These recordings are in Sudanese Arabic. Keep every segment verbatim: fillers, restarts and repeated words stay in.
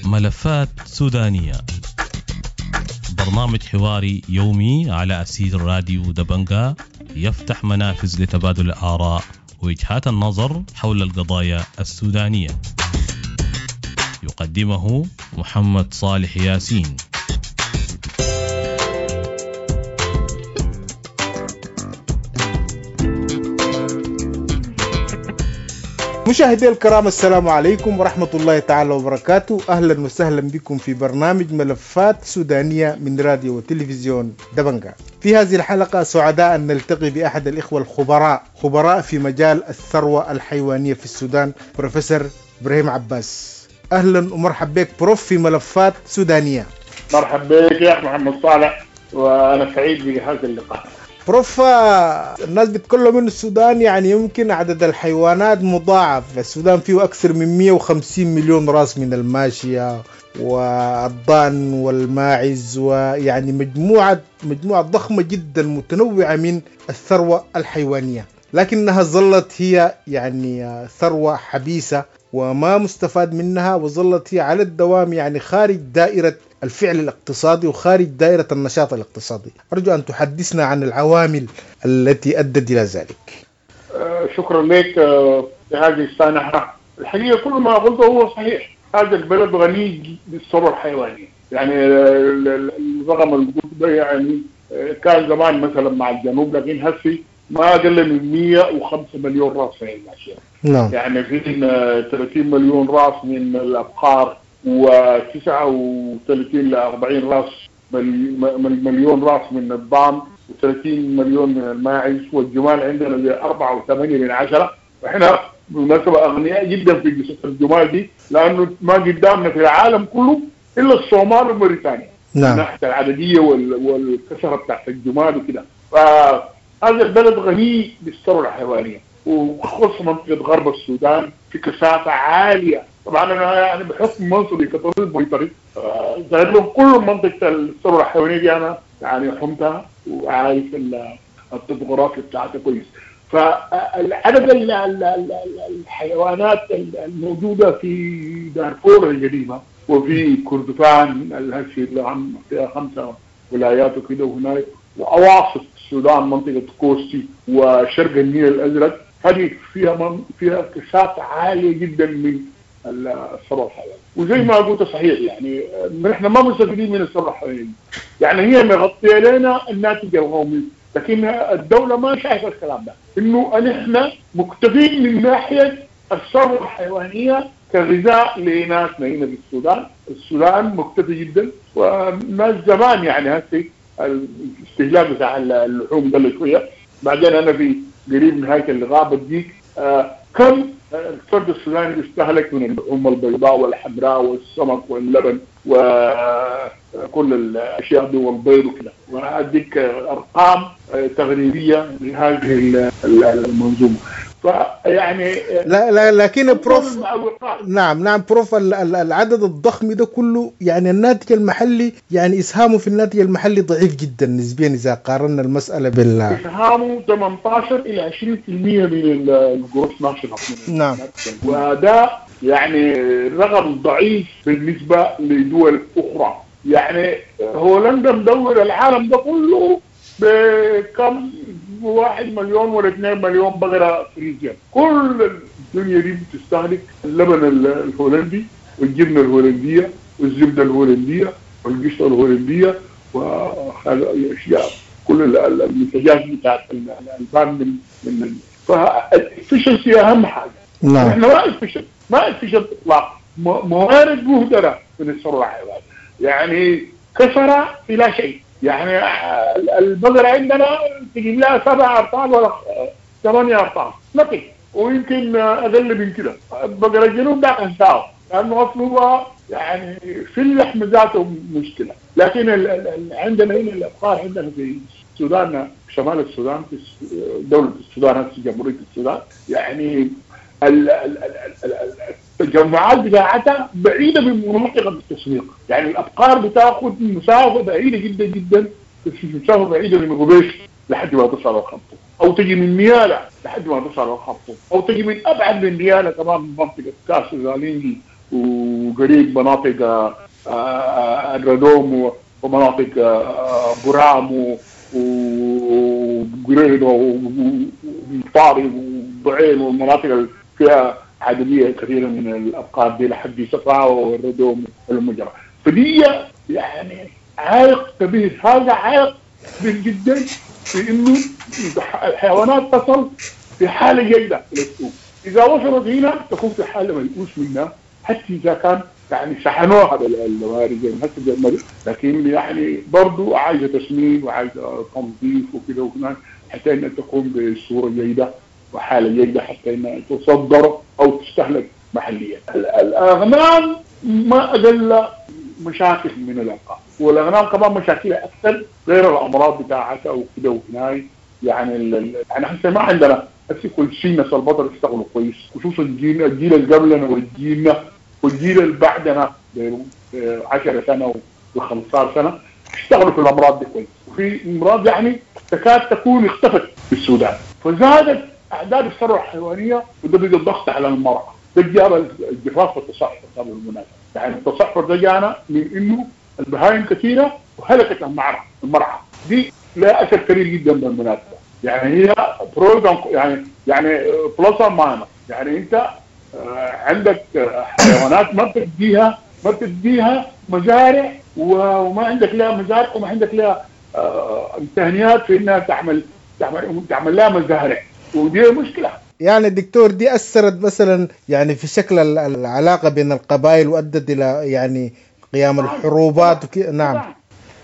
ملفات سودانية، برنامج حواري يومي على أثير راديو دبنقا، يفتح منافذ لتبادل الآراء ووجهات النظر حول القضايا السودانية. يقدمه محمد صالح ياسين. مشاهدي الكرام، السلام عليكم ورحمة الله تعالى وبركاته. أهلا وسهلا بكم في برنامج ملفات سودانية من راديو وتلفزيون دبنقا. في هذه الحلقة سعداء أن نلتقي بأحد الإخوة الخبراء، خبراء في مجال الثروة الحيوانية في السودان، بروفيسور إبراهيم عباس. أهلا ومرحبا بك بروف في ملفات سودانية. مرحبا بك يا أخ محمد صالح، وأنا سعيد بهذا اللقاء. بروف، الناس بتكلم إنه السودان يعني يمكن عدد الحيوانات مضاعف، السودان فيه أكثر من مئة وخمسين مليون راس من الماشية والضأن والماعز، ويعني مجموعة مجموعة ضخمة جدا متنوعة من الثروة الحيوانية، لكنها ظلت هي يعني ثروة حبيسة وما مستفاد منها، وظلت هي على الدوام يعني خارج دائرة الفعل الاقتصادي وخارج دائرة النشاط الاقتصادي. أرجو أن تحدثنا عن العوامل التي أدت إلى ذلك. شكرا لك في هذه السانحة. الحقيقة كل ما قلته هو صحيح. هذا البلد غني بالثروة الحيوانية، يعني الرقم اللي يعني كان زمان مثلا مع الجنوب، لكن هسي ما أقل من مئة وخمسة مليون راس في الماشية. نعم. يعني في ثلاثين مليون راس من الأبقار، وتسعة وثلاثين لأربعين راس مليون راس من الضأن، وثلاثين مليون من الماعز، والجمال عندنا زي أربعة وثمانية من عشرة. وإحنا بالمناسبة أغنياء جدا في قصة الجمال دي، لأنه ما قدامنا في العالم كله إلا الصومال وموريتانيا. نعم. ناحية العددية والكثرة بتاعت الجمال وكده. فهذا البلد غني بالثروة الحيوانية، وخصوصا منطقة غرب السودان في كثافة عالية. طبعا انا يعني بحكم منصبي كطبيب بيطري ظاهر لهم كل منطقة الثروة الحيوانية دي انا يعني حمتها وعارف الطبوغرافيا بتاعتها كويس. فالعدد الحيوانات الموجودة في دارفور القديمة وفي كردفان الهشي اللي عم فيها خمسة ولايات وكده وهناك، واواسط السودان منطقة كوستي وشرق النيل الازرق، هذه فيها من فيها كثافة عالية جدا من الثروة الحيوانية. وزي ما قلت صحيح، يعني نحن ما مستفيدين من الثروة الحيوانية، يعني هي مغطيه لنا الناتج القومي، لكن الدولة ما شايفه الكلام ده، انه نحن مكتفين من ناحية الثروة الحيوانية كغذاء لناسنا هنا في السودان. السودان مكتفي جدا، وناس زمان يعني هسه الاستهلاك بتاع اللحوم قل شوية. بعدين انا في قريب نهاية اللقاء بديك آه كم الفرد السوداني بيستهلك من اللحوم البيضاء والحمراء والسمك واللبن وكل الاشياء دي والبيض وكده، واديك ارقام تقريبية لهذه المنظومة. فيعني لا لا لكن بروف، نعم نعم بروف، العدد الضخم ده كله يعني الناتج المحلي يعني اسهامه في الناتج المحلي ضعيف جدا نسبيا اذا قارنا المسالة بال اسهامه ثمانية عشر الى عشرين بالمئة من ال gross national. نعم. وده يعني رقم ضعيف بالنسبة لدول اخرى. يعني هولندا مدور العالم ده كله بكم واحد مليون ولا اثنين مليون بقرة فريزيان. كل الدنيا دي بتستهلك اللبن الهولندي والجبنة الهولندية والزبدة الهولندية والقشطة الهولندية والأشياء، كل المنتجات بتاعت الألبان من من فال efficiency أهم حاجة. نعم. احنا ما efficient، ما efficient إطلاق، موارد مهدرة من الثروة الحيوانية، يعني كثرة إلى شيء. يعني البقرة عندنا تجيب لها سبع أرطال ولا ثمانية أرطال نقي، ويمكن أقل من كده. بقرة الجنوب ده أنساه لأنه أصله هو يعني في اللحم ذاته مشكلة. لكن ال ال عندنا هنا الأبقار عندنا في السودان، شمال السودان، في دولة السودان هسه جمهورية السودان، يعني التجمعات بتاعتها بعيدة من مناطق التسويق. يعني الأبقار بتاخد مسافة بعيدة جدا جدا، مسافة بعيدة من غبيش لحد ما تصل الخرطوم. او تجي من نيالا لحد ما تصل الخرطوم، او تجي من ابعد من نيالا كمان من منطقة كاس زالينجي وقريب مناطق الردوم ومناطق برام وقريد وطاري وضعين والمناطق اللي فيها عددية كثيرة من الابقار دي لحد صفاء والردوم والمجرى. فدي يعني عائق كبير، هذا عائق كبير جدا في انه الحيوانات تصل في حاله جيدة للسوق. اذا وصلت هنا تكون في حاله ميؤوس منها، حتى اذا كان يعني شحنوها بالموارد زي ما لكن يعني برضه عايزه تسمين وعايزه تنظيف وكده وكمان حتى انها تكون بصورة جيدة وحاله جيدة حتى انها تصدر او تستهلك محليا. الاغنام ما اقل مشاكل من الابقار، والاغنام كمان مشاكلها اكثر غير الامراض بتاعتها وكده وهناي. يعني يعني هسه ما عندنا هسه كل شيء ناس البطل اشتغلوا كويس، خصوصا الجيل الجيل اللي قبلنا والجيلنا والجيل اللي بعدنا ب عشرة سنة وخمسة عشر سنة اشتغلوا في الامراض دي كويس، وفي امراض يعني تكاد تكون اختفت في السودان، فزادت اعداد الثروة الحيوانية وده بقى الضغط على المرأة. ده جاب الجفاف والتصحر ده بالمناسبة، يعني التصحر ده جانا من انه البهائم كثيرة وهلكت المرعى، المرعى دي لها اثر كبير جدا بالمناسبة، يعني هي pros يعني يعني plus minus، يعني انت عندك حيوانات ما بتديها ما بتديها مزارع وما عندك لها مزارع وما عندك لها امكانيات في انها تعمل تعمل تعمل لها مزارع، ودي مشكلة. يعني الدكتور دي اثرت مثلا يعني في شكل العلاقة بين القبائل وادت الى يعني قيام الحروبات وكي... نعم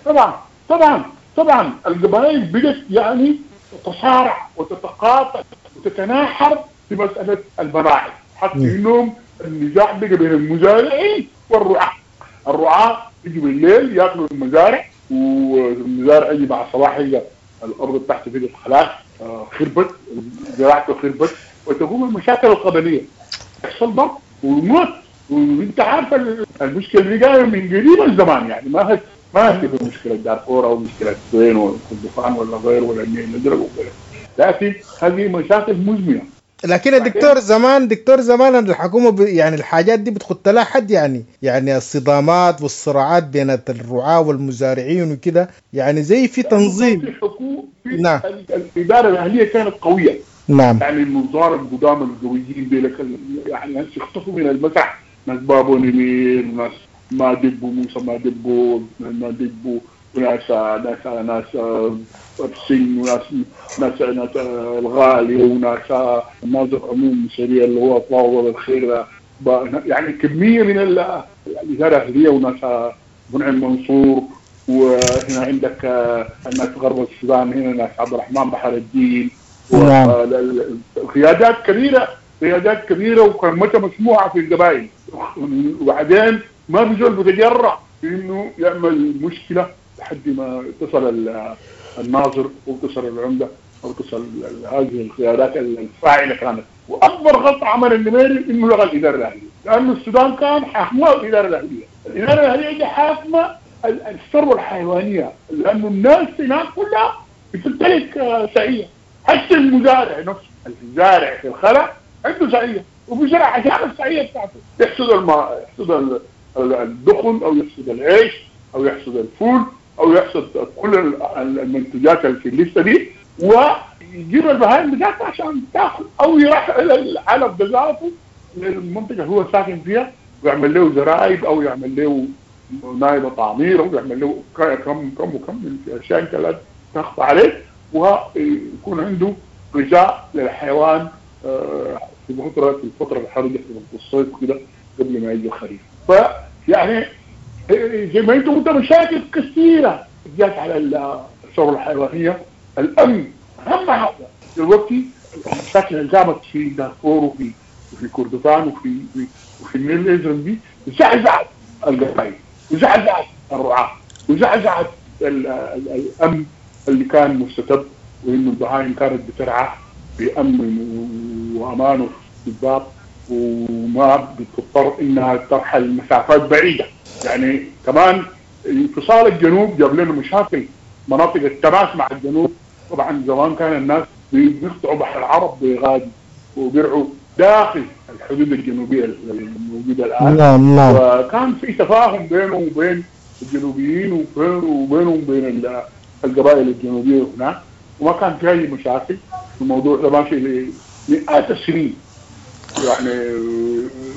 طبعا طبعا طبعا القبائل بدت يعني تتصارع وتتقاطع وتتناحر في مسالة المراعي، حتى انهم النزاع بقى بين المزارعين والرعاة. الرعاة يجوا بالليل ياكلوا المزارع، والمزارع يجي مع الصباح يلقى الارض بتاعته بقت خلاص خربت، زراعته خربت، وتقوم المشاكل القبلية، يحصل ضرب وموت. وانت عارف المشكلة دي جاية من قريب الزمان، يعني ما هي ما هي مشكلة دارفور او مشكلة وين والكردفان ولا غيره ولا النيل الازرق وغيره، لكن هذه مشاكل مزمنة. لكن الدكتور زمان دكتور زمان الحكومة ب... يعني الحاجات دي بتخط لها حد، يعني يعني الصدامات والصراعات بين الرعاة والمزارعين وكده، يعني زي في تنظيم. في حكومة في نعم. الادارة الاهلية كانت قوية. نعم. يعني النظار القدام القويين ديلك يعني هسه اختفوا من المسرح، ناس بابو نمير، ناس ما دبو موسى ما دبو ما دبو، وناس ناس ناس السن، وناس ناس ناس الغالي، وناس ناظر عموم سريع اللي هو طاول الخير، يعني كمية من الادارة الاهلية، وناس منعم منصور، وهنا عندك ناس غرب السودان، هنا ناس عبد الرحمن بحر الدين، قيادات كبيرة قيادات كبيرة وكلمتها مسموعة في القبائل. وبعدين ما في زول بيتجرأ انه يعمل مشكلة لحد ما اتصل الناظر واتصل العمدة او اتصل هذه القيادات الفاعلة كانت. واكبر غلطه عمل النميري انه لغى الادارة الاهلية، لانه السودان كان حاكمه الادارة الاهلية، الادارة الاهلية دي حاكمه الثروة الحيوانية، لانه الناس هناك كلها بتمتلك سعيه، حتى المزارع نفسه الزارع في الخلا عنده سعيه وبيزرع عشان السعيه بتاعته، يحصد الماء، يحصد الدخن او يحصد العيش او يحصد الفول او يحصد كل المنتجات اللي في الليستة دي، ويجيب البهائم بتاعته عشان تاكل، او يروح الى العلف بذاته للمنطقة اللي هو ساكن فيها ويعمل له زرايب او يعمل له نايبه تعمير او يعمل له كم كم وكم من اشياء انت لا تخفى عليه، ويكون عنده غذاء للحيوان في فترة في الفترة الحرجة في الصيف كده قبل ما يجي الخريف. فيعني زي ما انتم قلت مشاكل كثيرة جات على الثروة الحيوانية. الامن اهم حاجة دلوقتي، المشاكل اللي قامت في دارفور وفي وفي كردفان وفي وفي النيل الازرق دي زعزعت القبائل وزعزعت الرعاة وزعزعت الامن اللي كان مستتب، وانه البهائم كانت بترعى بامن وامان واستتباب وما بتضطر انها ترحل مسافات بعيدة. يعني كمان انفصال الجنوب جاب لنا مشاكل، مناطق التماس مع الجنوب. طبعا زمان كان الناس بيقطعوا بحر العرب بغادي وبيرعوا داخل الحدود الجنوبية الموجودة الان. نعم نعم. وكان في تفاهم بينهم وبين الجنوبيين وبينهم وبين القبائل الجنوبية هناك، وما كان في اي مشاكل. الموضوع ده ماشي لمئات السنين يعني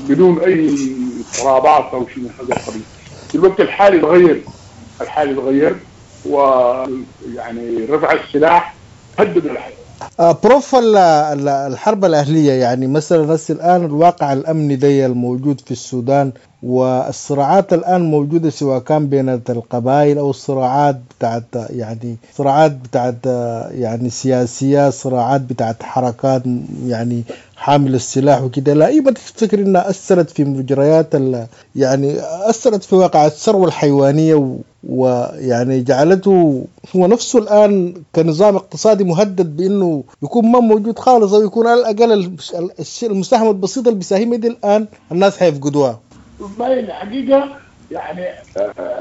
بدون اي اضطرابات او شيء من هذا القبيل. في الوقت الحالي تغير، الحالي تغير، ويعني رفع السلاح هدد الحياة. بروف، الحرب الأهلية يعني مثلا هسه الآن الواقع الأمني دي الموجود في السودان والصراعات الآن موجودة سواء كان بين القبائل أو الصراعات بتاعت يعني صراعات بتاعت يعني سياسية، صراعات بتاعت حركات يعني حامل السلاح وكده، لا ما تفتكر إنها أثرت في مجريات يعني أثرت في واقع الثروة الحيوانية ويعني جعلته هو نفسه الآن كنظام اقتصادي مهدد بأنه يكون ما موجود خالص، أو يكون على الأقل الشيء المساهمة البسيطة اللي بيساهم دي الآن الناس حيفقدوها. والله الحقيقة يعني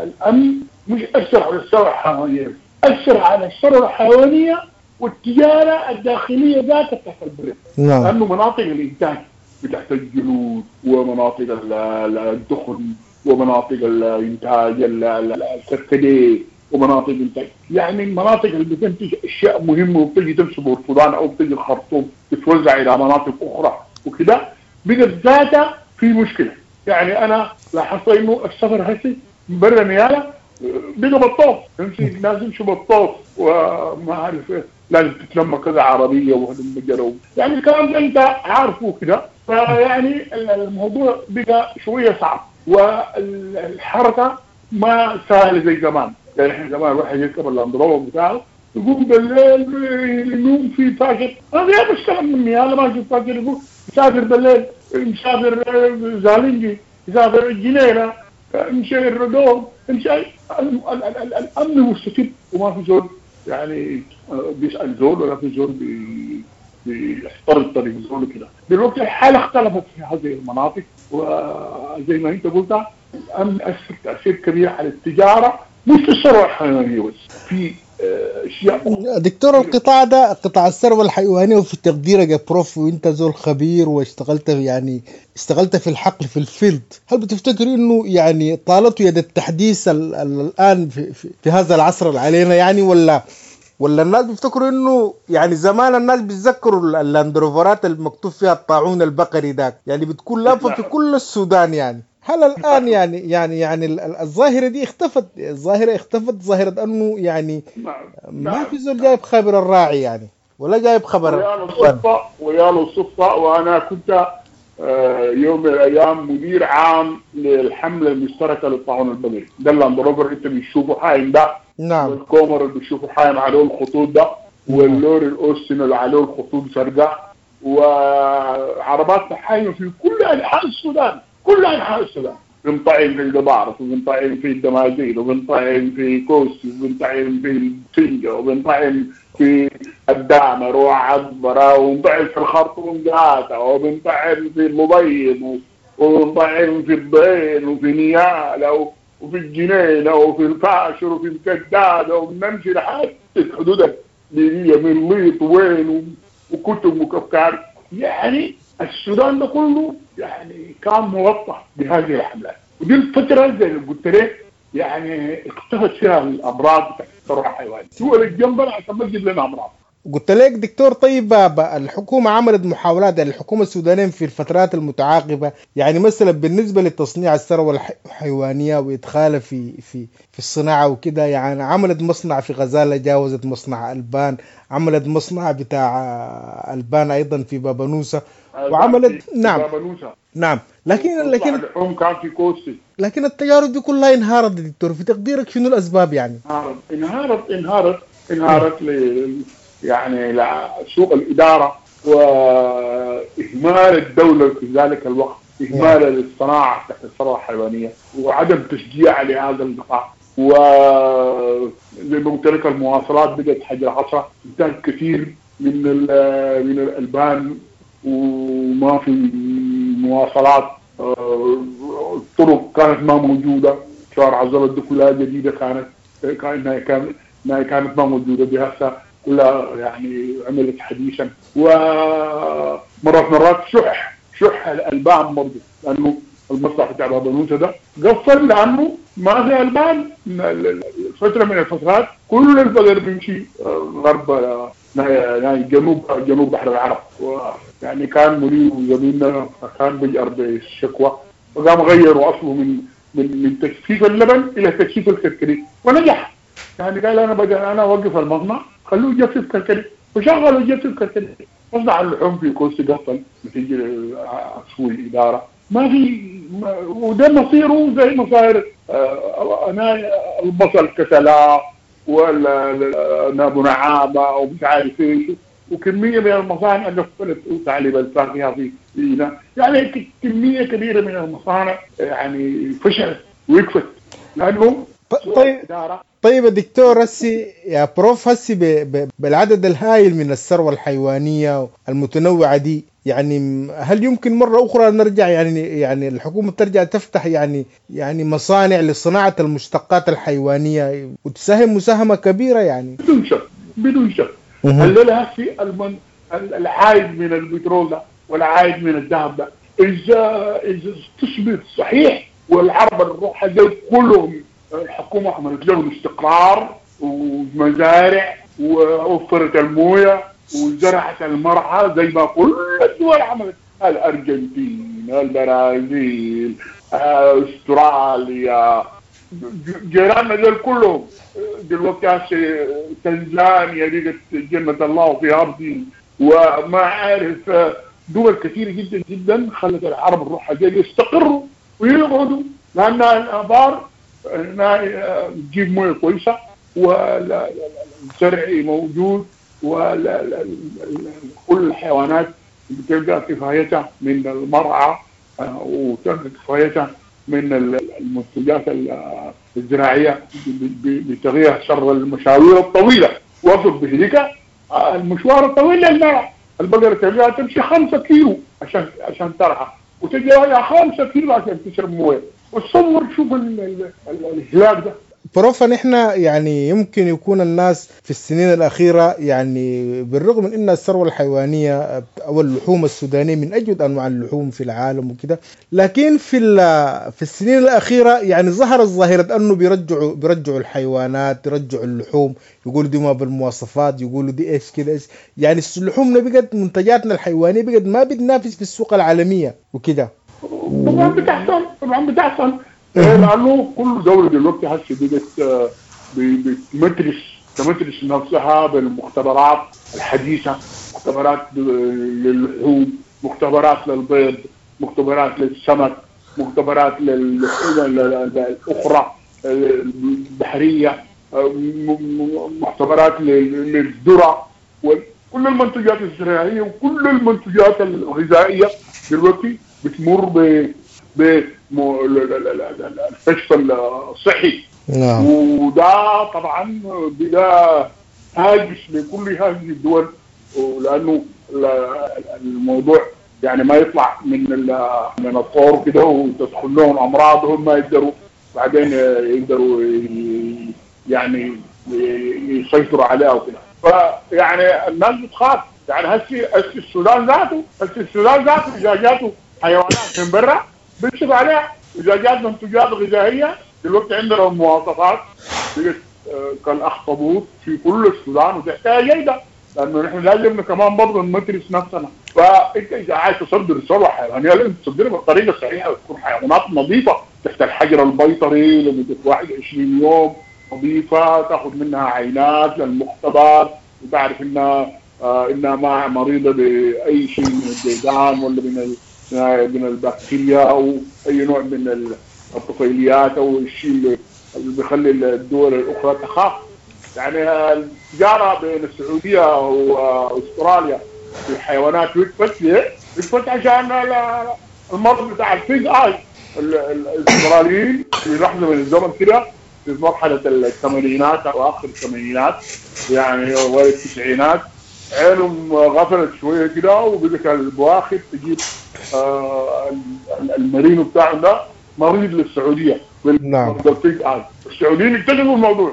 الأمن مش أثر على الثروة الحيوانية، أثر على الثروة الحيوانية والتجارة الداخلية ذاتها تحت البلد. نعم. لأنه مناطق الإنتاج بتاعت الجلود ومناطق الدخن ومناطق الإنتاج الكركديه ومناطق الإنتاج، يعني المناطق اللي بتنتج أشياء مهمة وبتجي تمشي بورسودان أو بتجي الخرطوم تتوزع إلى مناطق أخرى وكده، بقت ذاتها في مشكلة. يعني أنا لاحظت إنه السفر هسي برا نيالا بقى بالطوف، يمشي الناس يمشوا بالطوف وما عارف إيه، لازم تتلم كذا عربية وهذا، يعني الكلام ده أنت عارفه كده. فيعني الموضوع بقى شوية صعب والحركة ما سهلة زي زمان. يعني احنا زمان الواحد يركب اللاندروفر بتاعه يقوم بالليل ينوم في فاجر، انا ما بشتغل من نيالا ماشي فاجر، يقول يسافر بالليل، يسافر زالنجي، يسافر الجنينة، يمشي الردوم، يمشي. الامن مستتب وما في زول يعني بيسال زول ولا في زول بيحترق طريق زول كده. دلوقتي الحالة اختلفت في هذه المناطق، وزي ما انت قلت الامن اثر تاثير كبير على التجارة، مش في الثروة الحيوانية بس، في اشياء. دكتور، القطاع ده قطاع الثروة الحيوانية، وفي تقديرك يا بروف وانت زول خبير واشتغلت يعني اشتغلت في الحقل في ال field، هل بتفتكر انه يعني طالته يد التحديث ال ال الان في, في, في هذا العصر اللي علينا يعني، ولا ولا الناس بيفتكروا انه يعني زمان الناس بيتذكروا اللاندروفرات المكتوب فيها الطاعون البقري داك، يعني بتكون لافه في كل السودان يعني؟ هل الآن يعني يعني يعني الظاهرة دي اختفت؟ الظاهرة اختفت، ظاهرة أنه يعني ما في زول جايب خبر الراعي يعني، ولا جايب خبر. ويا الصدفة ويا الصدفة وأنا كنت يوم من الأيام مدير عام للحملة المشتركة للطاعون البقري، ده اللاندروفر أنت بتشوفه حايم ده، نعم، والكومر اللي بتشوفه حايم عليه الخطوط ده، واللوري الأوستن اللي عليه الخطوط زرقاء، وعربات حايمة في كل أنحاء السودان، كل أنحاء السودان. بنطعم في القضارف، وبنطعم في الدمازين، وبنطعم في كوسي، وبنطعم في السنجة، وبنطعم في الدامر وعبرة، وبنطعم في الخرطوم ذاته، وبنطعم في المبيض، وبنطعم في الضين، وفي نيالة، وفي الجنينة، وفي الفاشر، وفي الكدادة، وبنمشي لحد الحدود الليبية من ليط وين وكتب وكفكار. يعني السودان ده كله يعني كان مغطى بهذه الحملات، ودي الفترة زي اللي قلت لك يعني اختفت فيها الأمراض بتاعت الثروة الحيوانية، دول الجنبنا عشان ما تجيب لنا أمراض. قلت لك دكتور، طيب الحكومة عملت محاولات، يعني الحكومة السودانية في الفترات المتعاقبة، يعني مثلا بالنسبة لتصنيع الثروة الحيوانية وإدخالها في في في الصناعة وكده، يعني عملت مصنع في غزالة، جاوزت مصنع ألبان، عملت مصنع بتاع ألبان أيضا في بابنوسة، وعملت نعم بابنوسة. نعم، لكن لكن اللحوم كان في كوستي، لكن التجارب دي كلها انهارت دكتور. في تقديرك شنو الأسباب يعني؟ انهارت انهارت انهارت انهارت ل يعني سوء الإدارة وإهمال الدولة في ذلك الوقت، إهمال للصناعة تحت الثروة الحيوانية وعدم تشجيع لهذا القطاع، وزي ما قلت لك المواصلات بدأت حجر عصا، إنتاج كثير من من الألبان وما في مواصلات، الطرق كانت ما موجودة، شوارع الزلط دي كلها جديدة كانت كانت كانت ما موجودة دي هسه كلها يعني عملت حديثا. ومرات مرات شح شح الألبان برضه، لأنه المصنع بتاع بابنوسة ده قفل لأنه ما في ألبان. فترة من الفترات كل البقر بيمشي غرب يعني جنوب جنوب بحر العرب، يعني كان مدير زميلنا كان بيجأر بالشكوى، وقام غيروا أصله من من من تجفيف اللبن إلى تجفيف الكركديه ونجح. يعني قال أنا بدل أنا أوقف المصنع خلوه يجفف كركديه، وشغلوا يجفف كركديه. مصنع اللحوم في كوستي قفل نتيجة سوء الإدارة، ما في، وده مصيره زي مصير أنا البصل كسلا ولا أبو نعامة ومش عارف إيش، وكمية من المصانع قفلت تعليب الفاكهة في فينا، يعني كمية كبيرة من المصانع يعني فشلت وقفت لأنه طيب. طيب دكتور هسي يا بروف، هسي بالعدد الهائل من الثروة الحيوانية المتنوعة دي، يعني هل يمكن مرة أخرى نرجع يعني يعني الحكومة ترجع تفتح يعني يعني مصانع لصناعة المشتقات الحيوانية وتساهم مساهمة كبيرة يعني؟ بدون شك بدون شك. الليلة هسي المن... العائد من البترول ده والعائد من الذهب ده إذا إذا استثمر صحيح، والعرب الروحة دي كلهم الحكومة عملت لهم استقرار ومزارع ووفرت الموية وزرعت المرعى زي ما كل الدول عملت، الأرجنتين، البرازيل، استراليا، جيراننا دول كلهم دلوقتي، تنزانيا بقت جنة الله في أرضي، وما عارف دول كثيرة جدا جدا خلت العرب الروحة دي يستقروا ويقعدوا، لأن الآبار تجيب مويه كويسة والزرع موجود وكل الحيوانات بتلقى كفايتها من المرعى وتلقى كفايتها من المنتجات الزراعية بتغيير شر المشاوير الطويلة. وصل بهذيك المشوار الطويل للمرعى، البقرة تلقاها تمشي خمسة كيلو عشان عشان ترعى، وتجي خمسة كيلو عشان تشرب مويه. وتصور شوف الهلاك ده. بروف نحن يعني يمكن يكون الناس في السنين الأخيرة يعني بالرغم من أن الثروة الحيوانية أو اللحوم السودانية من أجود أنواع اللحوم في العالم وكده، لكن في في السنين الأخيرة يعني ظهرت ظاهرة أنه بيرجعوا بيرجعوا الحيوانات، يرجعوا اللحوم، يقولوا دي ما بالمواصفات، يقولوا دي إيش كده إيش، يعني اللحومنا بقت منتجاتنا الحيوانية بقت ما بتنافس في السوق العالمية وكده. طبعا بتحصل، طبعا بتحصل، لأنه كل دولة دلوقتي هسه بقت بتمترس تمترس نفسها بالمختبرات الحديثة، مختبرات للحوم، مختبرات للبيض، مختبرات للسمك، مختبرات للحوم الأخرى البحرية، مختبرات للذرة، وكل المنتجات الزراعية وكل المنتجات الغذائية دلوقتي بتمر ب بالكشف الصحي. نعم. وده طبعا بلا هاجس لكل هذه الدول، لانه الموضوع يعني ما يطلع من من الطور كده وتدخل لهم امراض هم ما يقدروا بعدين يقدروا يعني يسيطروا عليها وكده. فيعني الناس بتخاف، يعني هسي هسي السودان ذاته هسي السودان ذاته اذا جاته حيوانات من برا بيكشف عليها، اذا جات منتجات غذائية دلوقتي عندنا المواصفات بقت كالاخطبوط في كل السودان وتحتها جيدة، لانه نحن لازم كمان برضه نمترس نفسنا. فانت اذا عايز تصدر ثروة حيوانية لازم تصدرها بالطريقة الصحيحة وتكون حيوانات نظيفة تحت الحجر البيطري لمدة واحد وعشرين يوم نظيفة، تاخذ منها عينات للمختبر وتعرف انها آه انها ما مريضه باي شيء من الديدان ولا من من البكتيريا او اي نوع من الطفيليات او الشيء اللي بيخلي الدول الاخرى تخاف. يعني التجارة بين السعودية واستراليا في الحيوانات وقفت ليه؟ وقفت عشان المرض بتاع ال pig eye. الاستراليين في لحظة من الزمن كده في مرحلة الثمانينات او اخر الثمانينات يعني اوائل التسعينات عينهم غفلت شوية كده وبقت البواخر تجيب آه المرينو بتاعهم ده مريض للسعودية. نعم. ال pig eye. السعوديين اكتشفوا الموضوع،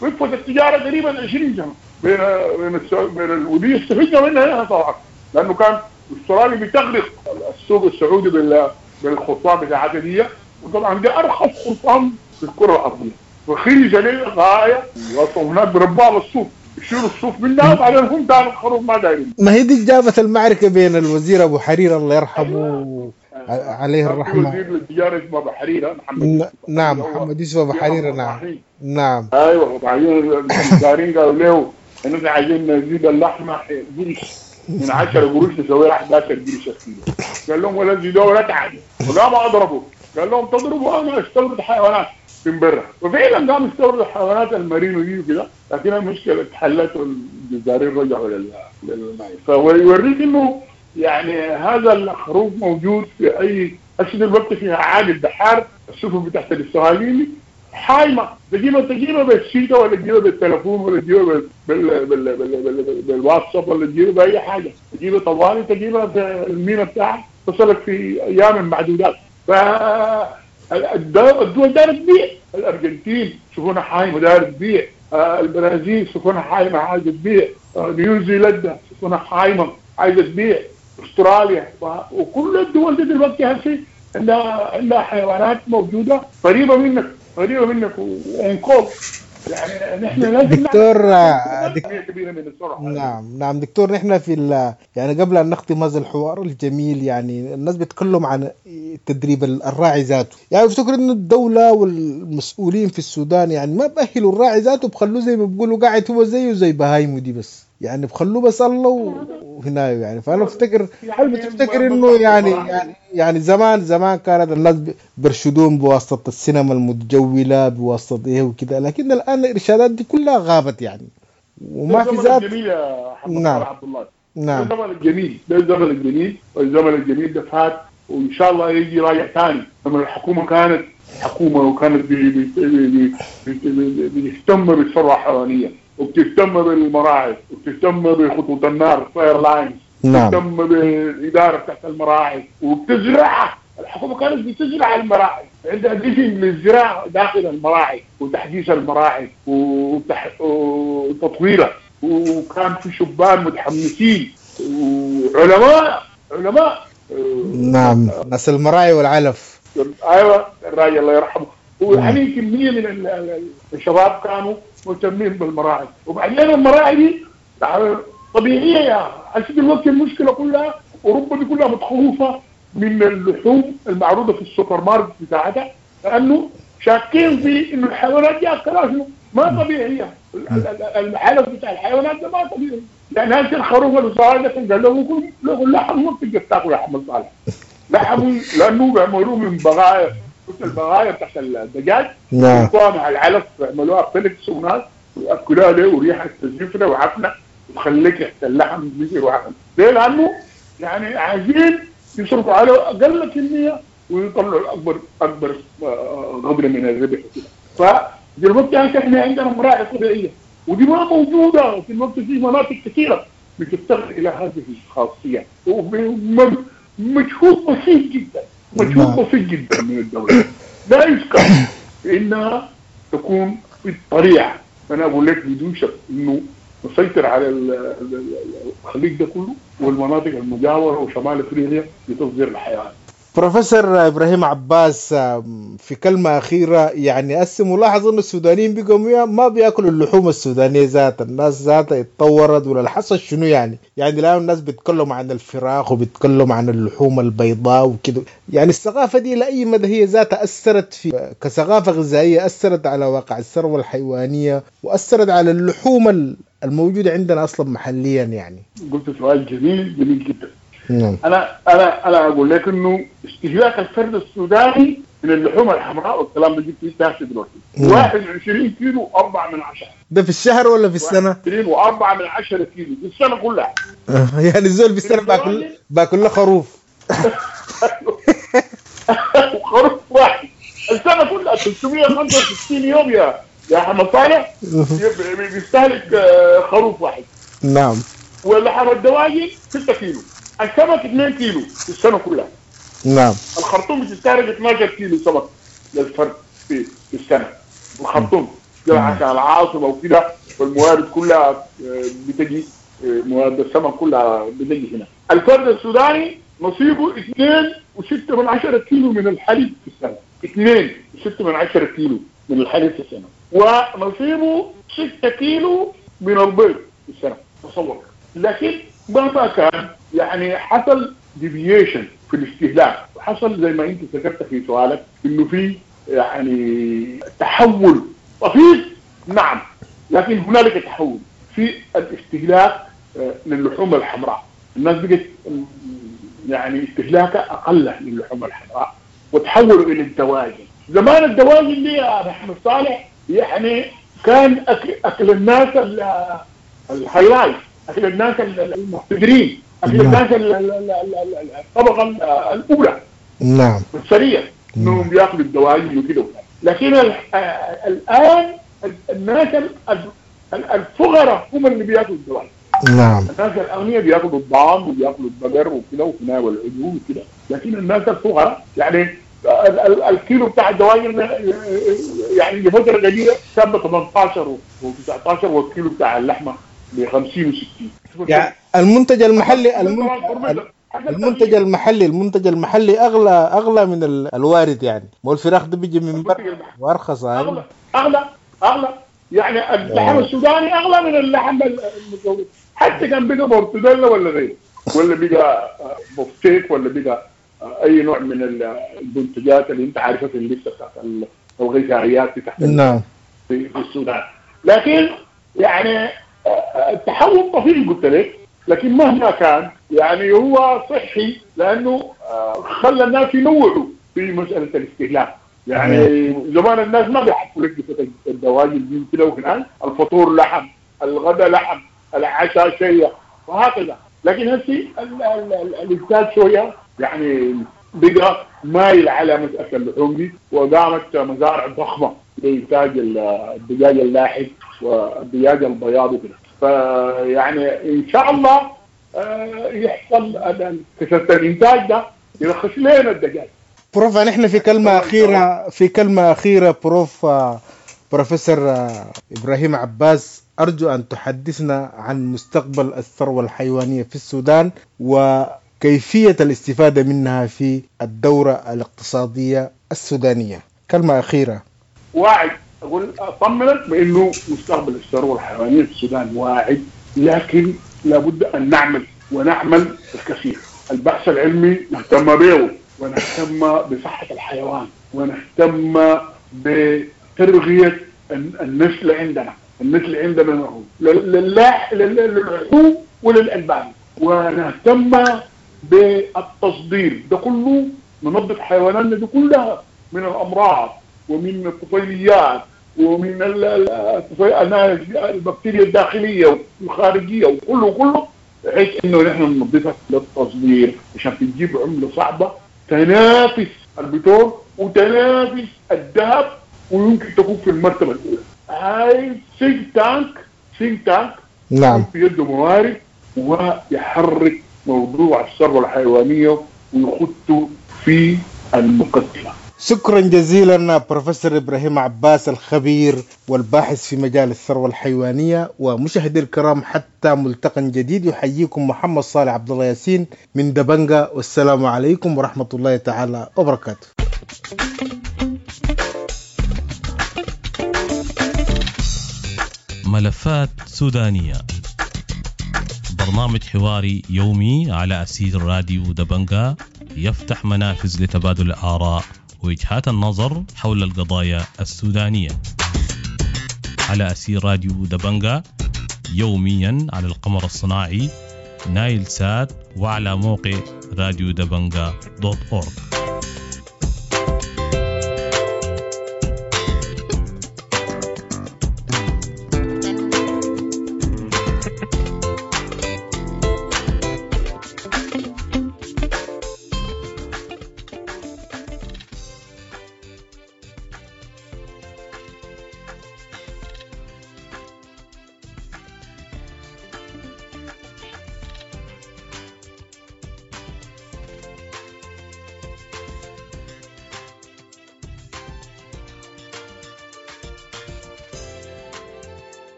وقفت التجارة تقريبا عشرين سنة. بين بين السعودية بين ودي استفدنا منها طبعا، لانه كان استراليا بتغرق السوق السعودي بال بالخرطان بتاعتها دي، وطبعا دي ارخص خرطان في الكره الارضية، رخيصة للغاية، وهناك بربوها بالصوف، يشيلوا الصوف منها وبعدين هم داروا الخروف ما دايرين. ما هي دي جابت المعركة بين الوزير ابو حرير الله يرحمه. أيوة. عليه الرحمة، وزير التجارة اسمه ابو حريره محمد. نعم محمد يوسف ابو حريره. نعم نعم ايوه. وبعدين الجزارين قالوا له ان احنا عايزين نزيد اللحمة قرش من عشرة قروش نسويها احد عشر قرش الكيلو. قال لهم ولا زيدوها ولا تعالوا، وقاموا اضربوا. قال لهم تضربوا انا استورد حيوانات من برا، وفعلا قاموا استوردوا حيوانات المارينو دي وكده، لكن المشكلة اتحلت والجزارين رجعوا للماء. فيوريك انه يعني هذا الخروف موجود في اي هسه دلوقتي فيها عادي البحار، السفن بتاعت الاسرائيلي حايمه، تجيبها تجيبها بالشيطه ولا تجيبها بالتليفون ولا تجيبها بال بال بال بال بال بالواتساب ولا تجيبها باي حاجة، تجيبها طوالي، تجيبها في المينا بتاعك تصلك في ايام معدودات. ف الدول دايرة تبيع، الارجنتين سفنها حايمه دايرة تبيع، البرازيل سفنها حايمه عايزه تبيع، نيوزيلندا سفنها حايمه عايزه تبيع، استراليا، وكل الدول دي دلوقتي هسه عندها عندها حيوانات موجودة قريبه منك قريبه منك وانكول. يعني نحن لازم دكتور كبيرة من السرعة. نعم نعم دكتور، نحن في ال... يعني قبل ان نختم هذا الحوار الجميل، يعني الناس بيتكلم عن تدريب الراعي ذاته، يعني بفتكر انه الدولة والمسؤولين في السودان يعني ما بأهلوا الراعي ذاته، بخلوه زي ما بيقولوا قاعد هو زيه زي بهايمه دي بس، يعني بخلوه بس الله وهنا يعني. فانا بفتكر هل بتفتكر انه يعني يعني يعني زمان زمان كانت الناس برشدون بواسطة السينما المتجوله بواسطة ايه وكده، لكن الان الارشادات دي كلها غابت يعني، وما في ذات. جميل يا محمد. نعم عبد الله. نعم الزمن الجميل ده، الزمن الجميل، والزمن الجميل ده فات، وان شاء الله يجي راجع ثاني. لما الحكومة كانت حكومة وكانت بتهتم بالثروه الحيوانية وبتهتم بالمراعي وبتهتم بخطوط النار fire lines، نعم بتهتم بالادارة بتاعت المراعي وبتزرعها. الحكومة كانت بتزرع المراعي، عندها vision للزراعة داخل المراعي وتحديث المراعي وتح... وتطويرها، وكان في شبان متحمسين وعلماء علماء. نعم ناس المراعي والعلف. ايوه الراجل الله يرحمه، ويعني كمية من الشباب كانوا مهتمين بالمراعي. وبعدين المراعي دي طبيعية يا هسه دلوقتي المشكلة كلها اوروبا دي كلها متخوفه من اللحوم المعروضة في السوبر ماركت بتاعتها، لانه شاكين في انه الحيوانات دي اكلها شنو؟ ما طبيعية، العلف بتاع الحيوانات ده ما طبيعي. يعني هسه الخروف اللي صار ده قال له كل لحم ما بتقدر تاكل لحم صالح، لحم لانه بيعملوه من بغايا، البغايا بتاعت الدجاج نعم مع العلف بيعملوها pellets وناس وياكلوها ليه وريحه زفره وعفنه وتخليك ريحه اللحم زفر وعفنه. ليه؟ لانه يعني عايزين يصرفوا على اقل كمية ويطلعوا اكبر اكبر قدر من الربح وكده. فدلوقتي احنا عندنا مراعي طبيعية ودي ما موجودة في الوقت، في مناطق كثيرة بتفتقر الى هذه الخاصية، ومجهود بسيط جدا، مجهود بسيط جدا من الدولة لا يذكر انها تكون في الطريعه. انا اقول لك بدون شك انه نسيطر على الخليج ده كله والمناطق المجاورة وشمال افريقيا لتصدير الحيوان. بروفيسور ابراهيم عباس، في كلمة اخيرة، يعني هسه ملاحظ انه السودانيين بقوا ما بياكلوا اللحوم السودانية ذاتها، الناس ذاتها اتطورت ولا الحصل شنو يعني؟ يعني الان الناس بيتكلموا عن الفراخ وبيتكلموا عن اللحوم البيضاء وكده، يعني الثقافة دي لاي مدى هي ذاتها اثرت في كثقافه غذائية، اثرت على واقع الثروة الحيوانية واثرت على اللحوم الموجودة عندنا اصلا محليا يعني. قلت سؤال جميل جميل جدا. نعم. انا انا انا اقول لك انه استهلاك الفرد السوداني من اللحوم الحمراء والكلام ده جبت فيه دلوقتي واحد وعشرين كيلو وأربعة من عشرة. ده في الشهر ولا في السنة؟ واحد وعشرين وأربعة من عشرة كيلو في السنة كلها. يعني الزول في السنة باكل باكل له خروف. خروف واحد السنة كلها ثلاثمية وخمسة وستين يوم يا يا حمد صالح بيستهلك خروف واحد. نعم. ولحم الدواجن ستة كيلو، السمك اثنين كيلو في السنة كلها. نعم. الخرطوم بتستهلك اثناشر كيلو سمك للفرد في, في السنة. الخرطوم عشان العاصمة وكده والموارد كلها بتجي، موارد السمك كلها بتجي هنا. الفرد السوداني نصيبه اثنين وستة من عشرة كيلو من الحليب في السنة، اثنين وستة من عشرة كيلو من الحليب في السنة، ونصيبه ستة كيلو من البيض في السنة. تصور. لكن مهما كان يعني حصل deviation في الاستهلاك، وحصل زي ما انت ذكرت في سؤالك انه في يعني تحول طفيف، نعم، لكن هنالك تحول في الاستهلاك للحوم الحمراء. الناس بقت يعني استهلاكها اقل للحوم الحمراء وتحولوا الى الدواجن. زمان الدواجن دي يا محمد صالح يعني كان أكل, اكل الناس ال high life، اكل الناس المقتدرين، اكل الناس الطبقة الاولى، نعم، السريع، انهم بياكلوا الدواجن وكده. لكن الان الناس الفقراء هم اللي بياكلوا الدواجن. نعم. الناس الاغنياء بياكلوا الضان وبياكلوا البقر وكده وكده والعجول وكده، لكن الناس الفقراء يعني الكيلو بتاع الدواجن يعني لفترة قليله كان ب ثمانية عشر وتسعة عشر، والكيلو بتاع اللحمة ب خمسين وستين. يعني المنتج المحلي المنتج المحلي المنتج المحلي اغلى اغلى من الوارد يعني. مو الفراخ دي بيجي من برا وارخص، اغلى اغلى اغلى يعني اللحم السوداني اغلى من اللحم المستورد، حتى كان بقى مرتديلا ولا غيره، ولا بقى بفتيك، ولا بقى اي نوع من المنتجات اللي انت عارفها في الليستة بتاعت الغذائيات تحت نعم في السودان. لكن يعني التحول طفيف قلت لك، لكن مهما كان يعني هو صحي، لانه خلى الناس ينوعوا في مسالة الاستهلاك. يعني زمان الناس ما بيحبوا لك الدواجن دي كده، وهناك الفطور لحم، الغداء لحم، العشاء شيء، وهكذا. لكن هسي الانتاج شوية يعني بقى مايل على مسالة اللحوم دي، وقامت مزارع ضخمة لانتاج الدجاج اللاحم والدجاج البياض وكده. فيعني ان شاء الله يحصل كثرة الانتاج ده يرخص لنا الدجاج. بروف، نحن في كلمة اخيرة في كلمة اخيرة بروف بروفيسور ابراهيم عباس، ارجو ان تحدثنا عن مستقبل الثروة الحيوانية في السودان وكيفية الاستفادة منها في الدورة الاقتصادية السودانية. كلمة اخيرة. واعد، اقول اطمنك بانه مستقبل الثروة الحيوانية في السودان واعد، لكن لابد ان نعمل ونعمل الكثير. البحث العلمي نهتم به، ونهتم بصحة الحيوان، ونهتم بترغيه النسل عندنا، النسل عندنا للحوم وللالبان، ونهتم بالتصدير. ده كله ننظف حيواناتنا دي كلها من الامراض ومن الطفيليات ومن البكتيريا الداخلية والخارجية وكله كله، بحيث انه نحن ننظفها للتصدير عشان تجيب عمله صعبة تنافس البترول وتنافس الذهب، ويمكن تكون في المرتبة الاولى. هاي think tank think tank نعم، في يده موارد ويحرك موضوع الثروة الحيوانية ويخطه في المقدمة. شكرا جزيلا بروفيسور إبراهيم عباس، الخبير والباحث في مجال الثروة الحيوانية. ومشاهدي الكرام، حتى ملتقى جديد، يحييكم محمد صالح عبد الله ياسين من دبنجة، والسلام عليكم ورحمة الله تعالى وبركاته. ملفات سودانية، برنامج حواري يومي على أثير راديو دبنجة، يفتح منافذ لتبادل الآراء ووجهات النظر حول القضايا السودانية على أثير راديو دبنجة، يوميا على القمر الصناعي نايل سات وعلى موقع راديو دبنجة dot org.